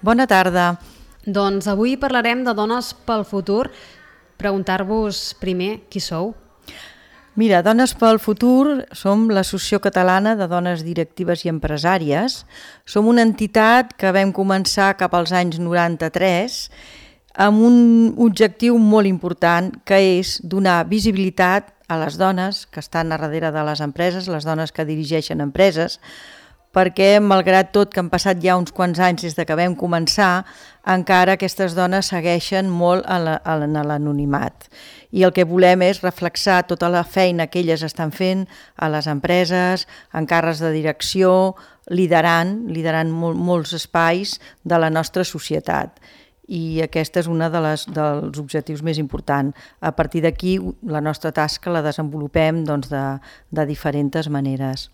Bona tarda. Doncs avui parlarem de Dones pel Futur. Preguntar-vos primer qui sou. Mira, Dones pel Futur som l'Associació Catalana de Dones Directives i Empresàries. Som una entitat que vam començar cap als anys 93 amb un objectiu molt important, que és donar visibilitat a les dones que estan a darrere de les empreses, les dones que dirigeixen empreses, perquè malgrat tot que han passat ja uns quants anys des que vam començar, encara aquestes dones segueixen molt en l'anonimat. I el que volem és reflexar tota la feina que elles estan fent a les empreses, en càrrecs de direcció, liderant molts espais de la nostra societat. I aquest és un dels objectius més importants. A partir d'aquí, la nostra tasca la desenvolupem de diferents maneres.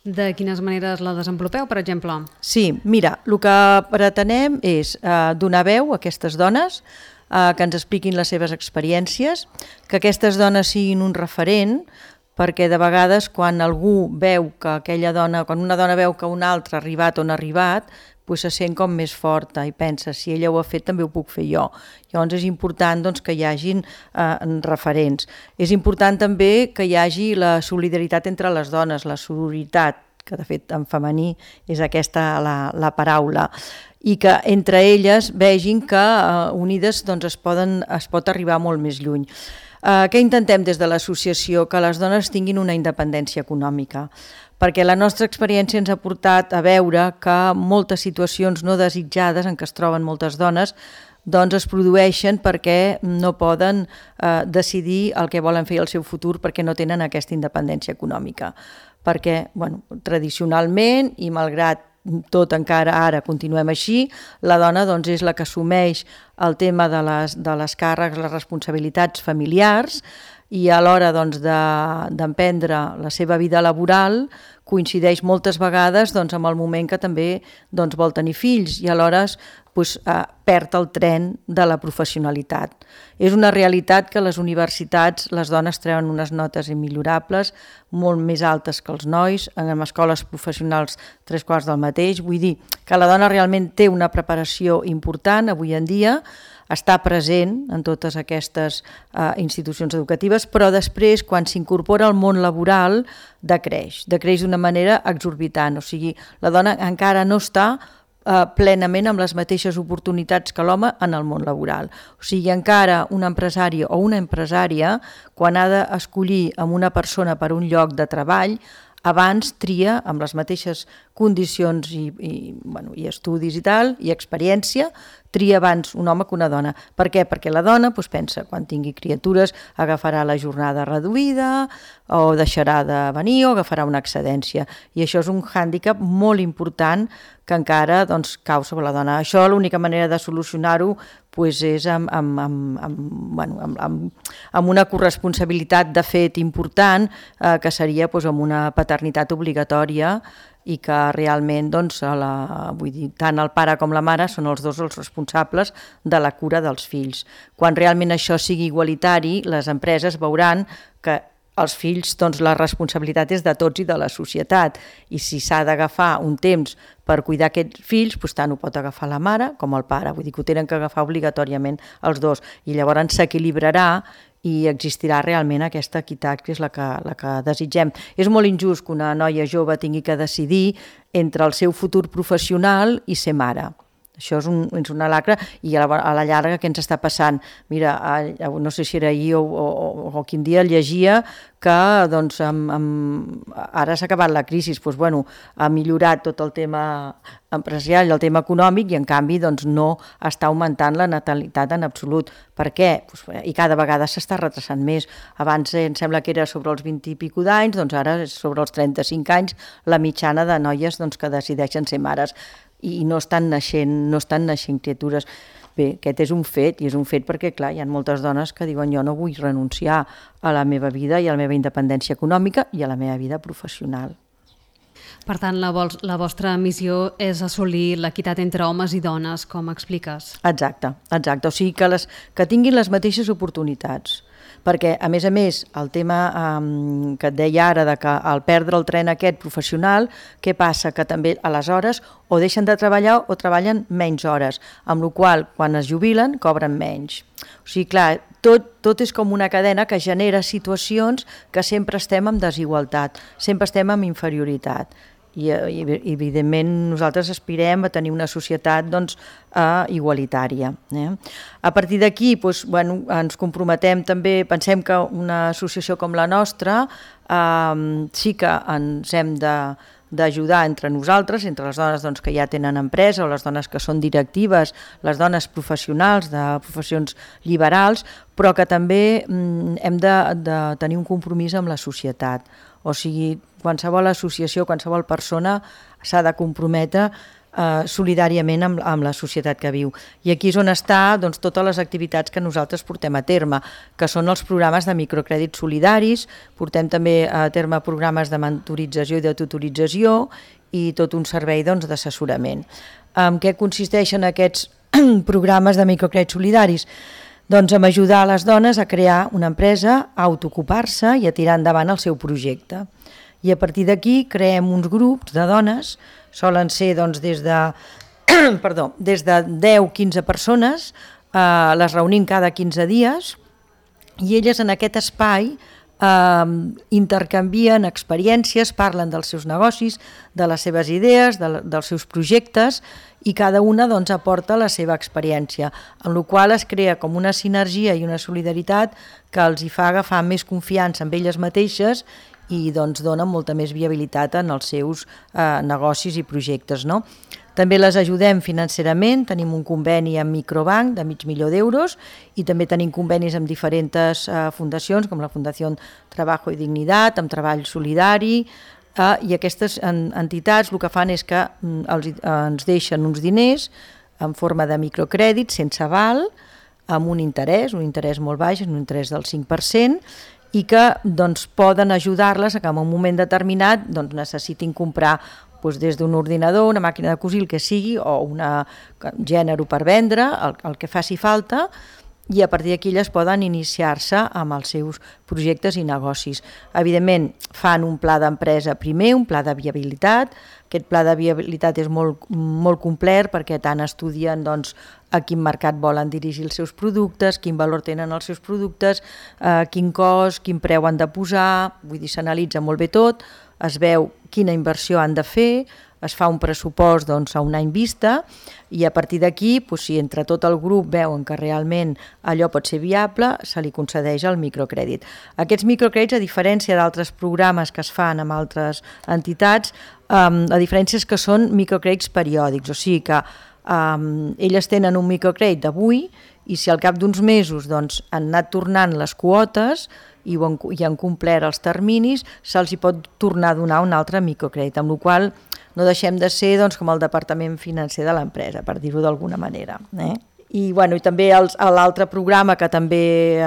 De quines maneres la desenvolupeu, per exemple? Sí, mira, el que pretenem és donar veu a aquestes dones, que ens expliquin les seves experiències, que aquestes dones siguin un referent, perquè de vegades quan algú veu que aquella dona, quan una dona veu que una altra ha arribat on ha arribat, se sent com més forta i pensa, si ella ho ha fet també ho puc fer jo. Llavors és important que hi hagin referents. És important també que hi hagi la solidaritat entre les dones, la sororitat, que de fet en femení és aquesta la paraula, i que entre elles vegin que unides es pot arribar molt més lluny. Què intentem des de l'associació? Que les dones tinguin una independència econòmica, perquè la nostra experiència ens ha portat a veure que moltes situacions no desitjades en què es troben moltes dones es produeixen perquè no poden decidir el que volen fer al seu futur perquè no tenen aquesta independència econòmica. Perquè tradicionalment, i malgrat tot encara ara continuem així, la dona és la que assumeix el tema de les càrrecs, les responsabilitats familiars, i a l'hora d'emprendre la seva vida laboral coincideix moltes vegades amb el moment que també vol tenir fills, i alhora perd el tren de la professionalitat. És una realitat que a les universitats les dones treuen unes notes immillorables, molt més altes que els nois, en escoles professionals 3/4 del mateix, vull dir que la dona realment té una preparació important avui en dia, està present en totes aquestes institucions educatives, però després, quan s'incorpora al món laboral, decreix d'una manera exorbitant. O sigui, la dona encara no està plenament amb les mateixes oportunitats que l'home en el món laboral. O sigui, encara un empresari o una empresària, quan ha d'escollir amb una persona per un lloc de treball, abans tria amb les mateixes condicions i estudis i tal, i experiència, tria abans un home que una dona. Per què? Perquè la dona pensa, quan tingui criatures, agafarà la jornada reduïda, o deixarà de venir, o agafarà una excedència. I això és un hàndicap molt important que encara cau sobre la dona. Això l'única manera de solucionar-ho és amb una corresponsabilitat de fet important, que seria amb una paternitat obligatòria, i que realment tant el pare com la mare són els dos els responsables de la cura dels fills. Quan realment això sigui igualitari, les empreses veuran que els fills, la responsabilitat és de tots i de la societat, i si s'ha d'agafar un temps per cuidar aquests fills, tant ho pot agafar la mare com el pare, vull dir que ho tenen que agafar obligatòriament els dos, i llavors s'equilibrarà i existirà realment aquesta equitat, que és la que desitgem. És molt injust que una noia jove tingui que decidir entre el seu futur professional i ser mare. Això és una lacra, i a la llarga què ens està passant? Mira, no sé si era ahir o quin dia llegia que ara s'ha acabat la crisi, ha millorat tot el tema empresarial i el tema econòmic, i en canvi no està augmentant la natalitat en absolut. Per què? I cada vegada s'està retrasant més. Abans em sembla que era sobre els 20 i pico d'anys, ara és sobre els 35 anys la mitjana de noies que decideixen ser mares, i no estan naixent criatures. Bé, aquest és un fet, i és un fet perquè, clar, hi ha moltes dones que diuen jo no vull renunciar a la meva vida i a la meva independència econòmica i a la meva vida professional. Per tant, la vostra missió és assolir l'equitat entre homes i dones, com expliques. Exacte. O sigui, que tinguin les mateixes oportunitats. perquè a més, el tema que et deia ara, de que al perdre el tren aquest professional, què passa? Que també aleshores o deixen de treballar o treballen menys hores, amb la qual quan es jubilen cobren menys. O sigui, clar, tot és com una cadena que genera situacions que sempre estem en desigualtat, sempre estem en inferioritat. I evidentment nosaltres aspirem a tenir una societat igualitària. A partir d'aquí ens comprometem també, pensem que una associació com la nostra sí que ens hem d'ajudar entre nosaltres, entre les dones que ja tenen empresa o les dones que són directives, les dones professionals de professions liberals, però que també hem de tenir un compromís amb la societat. O sigui, qualsevol associació, qualsevol persona s'ha de comprometre solidàriament amb la societat que viu. I aquí és on està totes les activitats que nosaltres portem a terme, que són els programes de microcrèdits solidaris, portem també a terme programes de mentorització i de tutorització i tot un servei d'assessorament. En què consisteixen aquests programes de microcrèdits solidaris? Doncs en ajudar les dones a crear una empresa, a autoocupar-se i a tirar endavant el seu projecte. I a partir d'aquí creem uns grups de dones, solen ser des de 10-15 persones, les reunim cada 15 dies i elles en aquest espai intercanvien experiències, parlen dels seus negocis, de les seves idees, dels seus projectes i cada una aporta la seva experiència, en la qual es crea com una sinergia i una solidaritat que els hi fa agafar més confiança en elles mateixes i donen molta més viabilitat en els seus negocis i projectes. També les ajudem financerament, tenim un conveni amb Microbank de €500.000 i també tenim convenis amb diferents fundacions com la Fundació Trabajo i Dignitat, amb Treball Solidari, i aquestes entitats el que fan és que ens deixen uns diners en forma de microcrèdit sense aval, amb un interès molt baix, un interès del 5%, i que poden ajudar-les a que en un moment determinat necessitin comprar des d'un ordinador, una màquina de cosir, el que sigui, o un gènere per vendre, el que faci falta, i a partir d'aquí elles poden iniciar-se amb els seus projectes i negocis. Evidentment, fan un pla d'empresa primer, un pla de viabilitat. Aquest pla de viabilitat és molt complet perquè tant estudien a quin mercat volen dirigir els seus productes, quin valor tenen els seus productes, quin cost, quin preu han de posar, vull dir, s'analitza molt bé tot, es veu quina inversió han de fer, es fa un pressupost a un any vista i a partir d'aquí, si entre tot el grup veuen que realment allò pot ser viable, se li concedeix el microcrèdit. Aquests microcrèdits, a diferència d'altres programes que es fan amb altres entitats, la diferència és que són microcrèdits periòdics, o sigui que elles tenen un microcrèdit d'avui i si al cap d'uns mesos han anat tornant les quotes i han complert els terminis, se'ls hi pot tornar a donar un altre microcrèdit, amb la qual cosa no deixem de ser com el departament financer de l'empresa, per dir-ho d'alguna manera. I també l'altre programa que també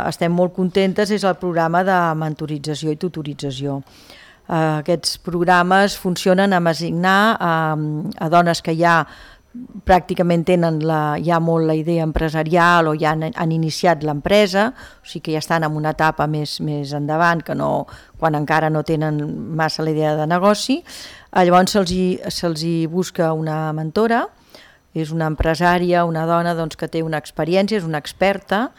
estem molt contentes és el programa de mentorització i tutorització. Aquests programes funcionen amb assignar a dones que ja pràcticament tenen ja molt la idea empresarial o ja han iniciat l'empresa, o sigui que ja estan en una etapa més endavant, que quan encara no tenen massa la idea de negoci. Llavors se'ls hi busca una mentora, és una empresària, una dona que té una experiència, és una experta,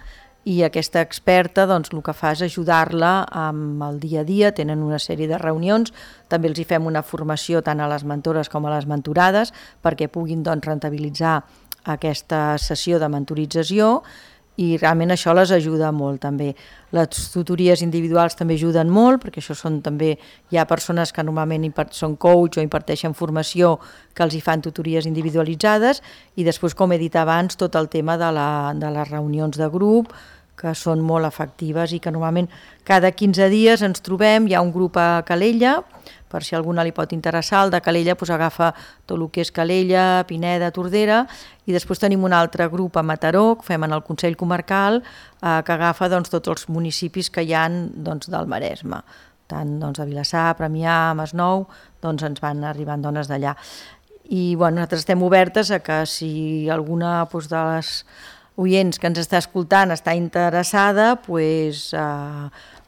i aquesta experta el que fa és ajudar-la amb el dia a dia, tenen una sèrie de reunions, també els hi fem una formació tant a les mentores com a les mentorades perquè puguin rendibilitzar aquesta sessió de mentorització i realment això les ajuda molt també. Les tutories individuals també ajuden molt perquè això són també, hi ha persones que normalment són coach o imparteixen formació que els hi fan tutories individualitzades i després, com he dit abans, tot el tema de les reunions de grup que són molt efectives i que normalment cada 15 dies ens trobem, hi ha un grup a Calella, per si a alguna li pot interessar, el de Calella agafa tot el que és Calella, Pineda, Tordera, i després tenim un altre grup a Mataró, que fem en el Consell Comarcal, que agafa tots els municipis que hi ha del Maresme. Tant a Vilassar, Premià, Masnou, ens van arribant dones d'allà. I nosaltres estem obertes a que si alguna de les oients que ens està escoltant està interessada, doncs,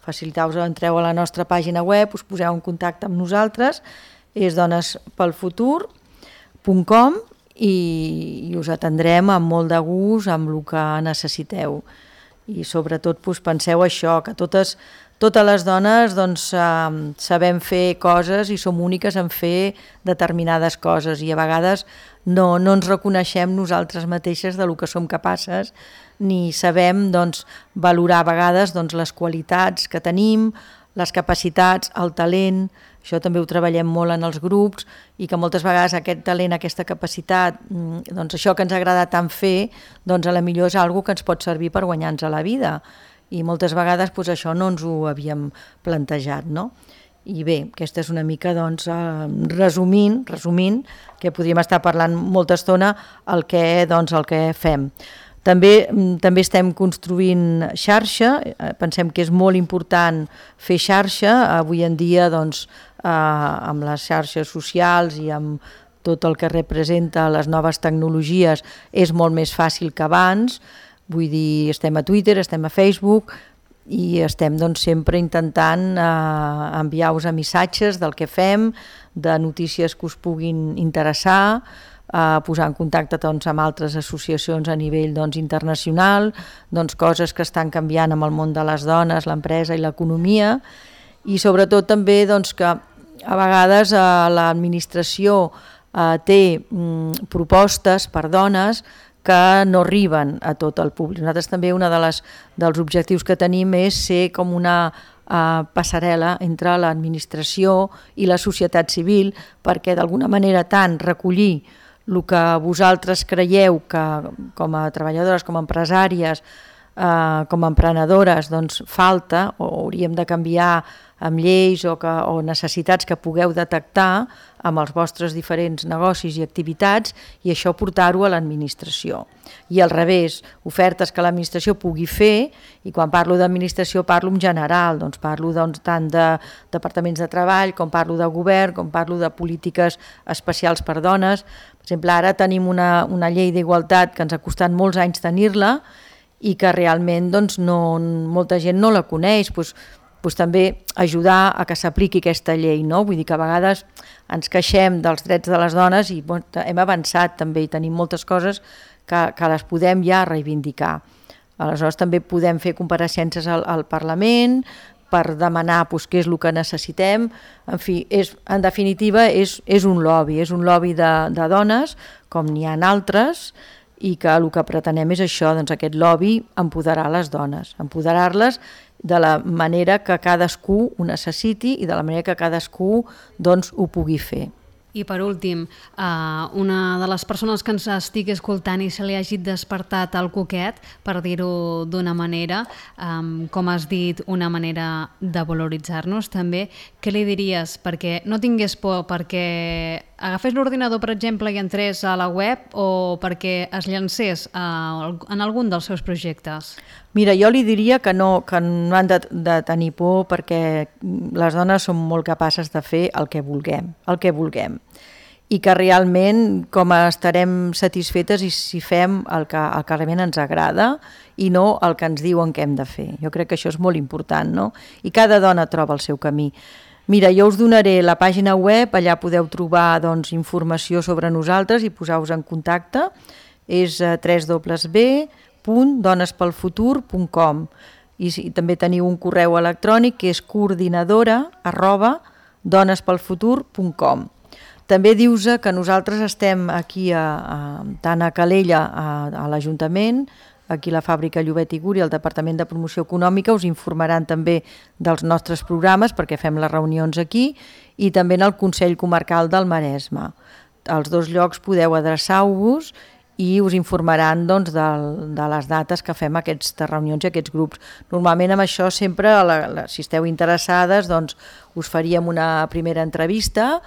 faciliteu-vos, entreu a la nostra pàgina web, us poseu en contacte amb nosaltres, és donespelfutur.com i us atendrem amb molt de gust, amb el que necessiteu. I sobretot penseu això, que totes les dones sabem fer coses i som úniques en fer determinades coses i a vegades no ens reconeixem nosaltres mateixes del que som capaces ni sabem valorar a vegades les qualitats que tenim, les capacitats, el talent. Això també ho treballem molt en els grups i que moltes vegades aquest talent, aquesta capacitat, això que ens agrada tant fer, a la millor és una cosa que ens pot servir per guanyar-nos a la vida. I moltes vegades això no ens ho havíem plantejat, no? I bé, aquesta és una mica, resumint, que podríem estar parlant molta estona el que fem. També estem construint xarxa, pensem que és molt important fer xarxa, avui en dia amb les xarxes socials i amb tot el que representa les noves tecnologies és molt més fàcil que abans, vull dir, estem a Twitter, estem a Facebook i estem sempre intentant enviar-vos missatges del que fem, de notícies que us puguin interessar, posar en contacte amb altres associacions a nivell internacional, coses que estan canviant amb el món de les dones, l'empresa i l'economia, i sobretot també que a vegades l'administració té propostes per dones que no arriben a tot el públic. Nosaltres també un dels objectius que tenim és ser com una passarel·la entre l'administració i la societat civil perquè d'alguna manera tant recollir el que vosaltres creieu que com a treballadores, com a empresàries, com a emprenedores falta o hauríem de canviar amb lleis o necessitats que pugueu detectar amb els vostres diferents negocis i activitats i això portar-ho a l'administració. I al revés, ofertes que l'administració pugui fer, i quan parlo d'administració parlo en general, parlo tant de departaments de treball com parlo de govern, com parlo de polítiques especials per dones. Per exemple, ara tenim una llei d'igualtat que ens ha costat molts anys tenir-la i que realment molta gent no la coneix, també ajudar a que s'apliqui aquesta llei, no? Vull dir que a vegades ens queixem dels drets de les dones i hem avançat també i tenim moltes coses que les podem ja reivindicar. Aleshores també podem fer compareixences al Parlament per demanar què és el que necessitem. En fi, en definitiva és un lobby de dones com n'hi ha altres i que el que pretenem és això, aquest lobby, empoderar les dones, empoderar-les de la manera que cadascú ho necessiti i de la manera que cadascú ho pugui fer. I per últim, una de les persones que ens estigui escoltant i se li hagi despertat el coquet, per dir-ho d'una manera, com has dit, una manera de valoritzar-nos també, què li diries? Perquè no tingués por, perquè agafés l'ordinador, per exemple, i entrés a la web o perquè es llancés en algun dels seus projectes? Mira, jo li diria que no han de tenir por perquè les dones som molt capaces de fer el que vulguem i que realment com estarem satisfetes si fem el que realment ens agrada i no el que ens diuen que hem de fer. Jo crec que això és molt important, no? I cada dona troba el seu camí. Mira, jo us donaré la pàgina web, allà podeu trobar informació sobre nosaltres i posar-vos en contacte. És www.donespelfutur.com i també teniu un correu electrònic que és coordinadora@donespelfutur.com. També dius que nosaltres estem aquí tant a Calella, a l'Ajuntament, aquí a la fàbrica Llobet i Guri, al Departament de Promoció Econòmica, us informaran també dels nostres programes perquè fem les reunions aquí i també en el Consell Comarcal del Maresme. Als dos llocs podeu adreçar-vos i us informaran de les dates que fem aquestes reunions i aquests grups. Normalment amb això sempre, si esteu interessades, us faríem una primera entrevista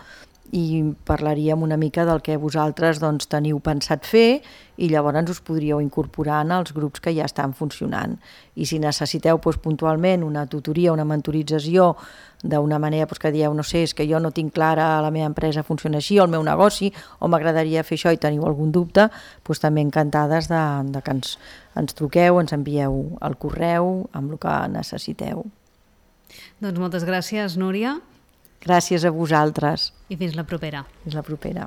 i parlaríem una mica del que vosaltres doncs, teniu pensat fer i llavors us podríeu incorporar en els grups que ja estan funcionant. I si necessiteu puntualment una tutoria, una mentorització d'una manera que dieu, no sé, és que jo no tinc clara, la meva empresa funciona així, o el meu negoci, o m'agradaria fer això i teniu algun dubte, també encantades de que ens truqueu, ens envieu el correu amb el que necessiteu. Doncs moltes gràcies, Núria. Gràcies a vosaltres. I fins la propera. Fins la propera.